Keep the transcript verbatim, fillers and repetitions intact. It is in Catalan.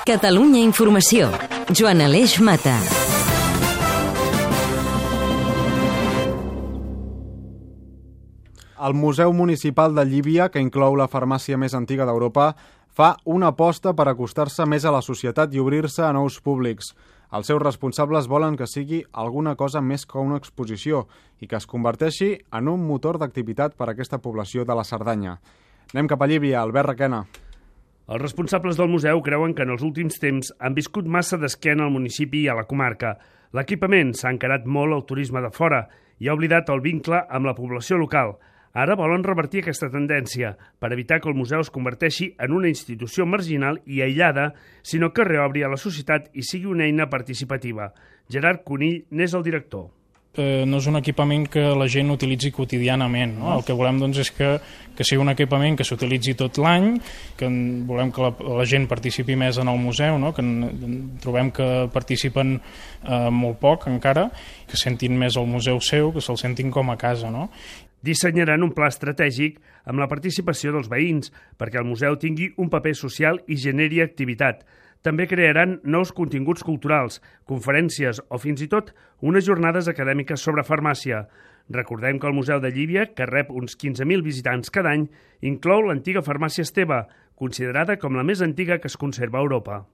Catalunya Informació. Joan Aleix Mata. El Museu Municipal de Llívia, que inclou la farmàcia més antiga d'Europa, fa una aposta per acostar-se més a la societat i obrir-se a nous públics. Els seus responsables volen que sigui alguna cosa més que una exposició i que es converteixi en un motor d'activitat per a aquesta població de la Cerdanya. Anem cap a Llívia, Albert Requena. Els responsables del museu creuen que en els últims temps han viscut massa d'esquena al municipi i a la comarca. L'equipament s'ha encarat molt al turisme de fora i ha oblidat el vincle amb la població local. Ara volen revertir aquesta tendència per evitar que el museu es converteixi en una institució marginal i aïllada, sinó que reobri a la societat i sigui una eina participativa. Gerard Conill n'és el director. Eh, no és un equipament que la gent utilitzi quotidianament. No? El que volem doncs, és que, que sigui un equipament que s'utilitzi tot l'any, que volem que la, la gent participi més en el museu, no? Que en, trobem que participen eh, molt poc encara, que sentin més el museu seu, que se'l sentin com a casa. No? Dissenyaran un pla estratègic amb la participació dels veïns perquè el museu tingui un paper social i generi activitat. També crearan nous continguts culturals, conferències o fins i tot unes jornades acadèmiques sobre farmàcia. Recordem que el Museu de Llívia, que rep uns quinze mil visitants cada any, inclou l'antiga farmàcia Esteve, considerada com la més antiga que es conserva a Europa.